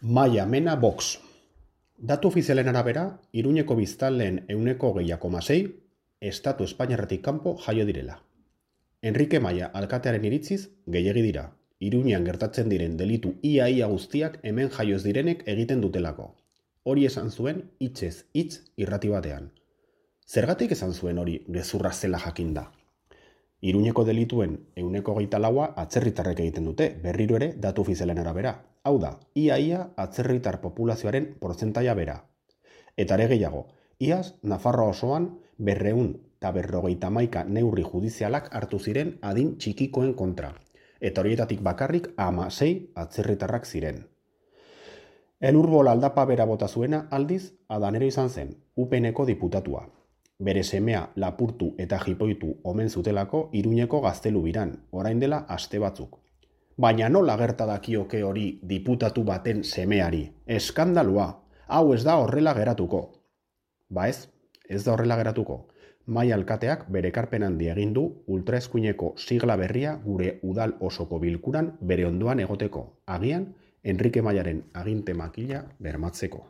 Maia Mena Vox. Datu ofizialen arabera, Iruñeko biztanleen 20,6% Estatu Espainiarretik kanpo jaio direla. Enrique Maia alkatearen iritziz, gehiegi dira. Iruñean gertatzen diren delitu ia guztiak hemen jaio ez direnek egiten dutelako. Hori esan zuen hitzez hitz irrati batean. Zergatik esan zuen hori gezurra zela jakinda? Iruñeko delituen 24% atzerritarrek egiten dute, berriro ere datu ofizialen arabera. Hau da, ia atzerritar populazioaren portzentaia bera. Eta ere gehiago, iaz Nafarroa osoan 251 neurri judizialak hartu ziren adin txikikoen kontra, eta horietatik bakarrik 16 atzerritarrak ziren. Elurbol aldapa bera bota zuena aldiz Adanero izan zen, UPNeko diputatua. Bere semea lapurtu eta jipoitu omen zutelako Iruñeko gaztelu biran, orain dela aste batzuk. Baina nola gerta dakioke hori diputatu baten semeari? Eskandalua, hau ez da horrela geratuko. Ba ez da horrela geratuko. Maia alkateak bere ekarpen handia egin du ultraeskuineko sigla berria gure udal osoko bilkuran bere ondoan egoteko, agian Enrique Maiaren aginte makila bermatzeko.